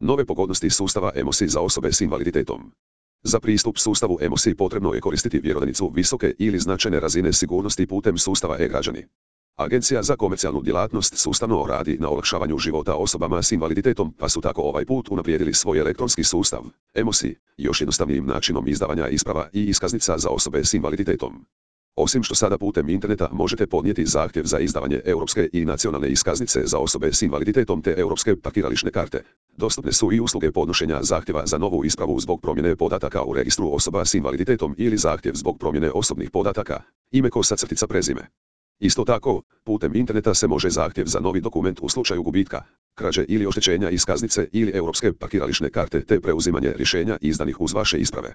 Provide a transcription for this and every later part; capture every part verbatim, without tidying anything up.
Nove pogodnosti sustava E M O S I za osobe s invaliditetom. Za pristup sustavu E M O S I potrebno je koristiti vjerodajnicu visoke ili značajne razine sigurnosti putem sustava e-građani. Agencija za komercijalnu djelatnost sustavno radi na olakšavanju života osobama s invaliditetom, pa su tako ovaj put unaprijedili svoj elektronski sustav E M O S I još jednostavnijim načinom izdavanja isprava i iskaznica za osobe s invaliditetom. Osim što sada putem interneta možete podnijeti zahtjev za izdavanje europske i nacionalne iskaznice za osobe s invaliditetom te europske parkirališne karte, dostupne su i usluge podnošenja zahtjeva za novu ispravu zbog promjene podataka u registru osoba s invaliditetom ili zahtjev zbog promjene osobnih podataka, ime kosa crtica prezime. Isto tako, putem interneta se može zahtjev za novi dokument u slučaju gubitka, krađe ili oštećenja iskaznice ili europske parkirališne karte te preuzimanje rješenja izdanih uz vaše isprave.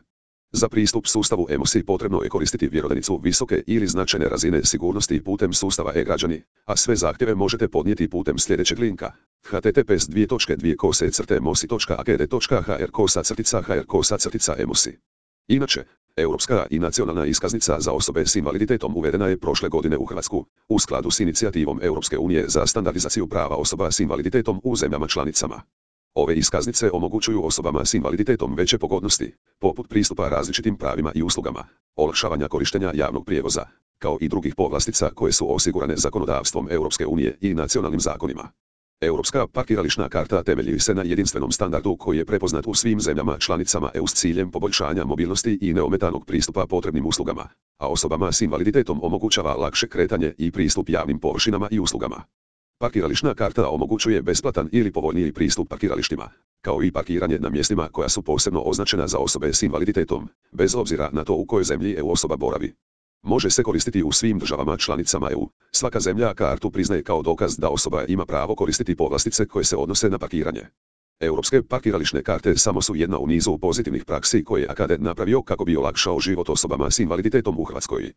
Za pristup sustavu E M O S I potrebno je koristiti vjerodajnicu visoke ili značajne razine sigurnosti putem sustava e-građani, a sve zahtjeve možete podnijeti putem sljedećeg linka: h t t p s dvije točke dvije kose crte mosi točka a k d točka h r kosa crtica h r kosa crtica E M O S I. Inače, europska i nacionalna iskaznica za osobe s invaliditetom uvedena je prošle godine u Hrvatsku, u skladu s inicijativom Europske unije za standardizaciju prava osoba s invaliditetom u zemljama članicama. Ove iskaznice omogućuju osobama s invaliditetom veće pogodnosti, poput pristupa različitim pravima i uslugama, olakšavanja korištenja javnog prijevoza, kao i drugih povlastica koje su osigurane zakonodavstvom Europske unije i nacionalnim zakonima. Europska parkirališna karta temelji se na jedinstvenom standardu koji je prepoznat u svim zemljama članicama E U s ciljem poboljšanja mobilnosti i neometanog pristupa potrebnim uslugama, a osobama s invaliditetom omogućava lakše kretanje i pristup javnim površinama i uslugama. Parkirališna karta omogućuje besplatan ili povoljniji pristup parkiralištima, kao i parkiranje na mjestima koja su posebno označena za osobe s invaliditetom, bez obzira na to u kojoj zemlji E U osoba boravi. Može se koristiti u svim državama članicama E U. Svaka zemlja kartu priznaje kao dokaz da osoba ima pravo koristiti povlastice koje se odnose na parkiranje. Europske parkirališne karte samo su jedna u nizu pozitivnih praksi koje je A K D napravio kako bi olakšao život osobama s invaliditetom u Hrvatskoj.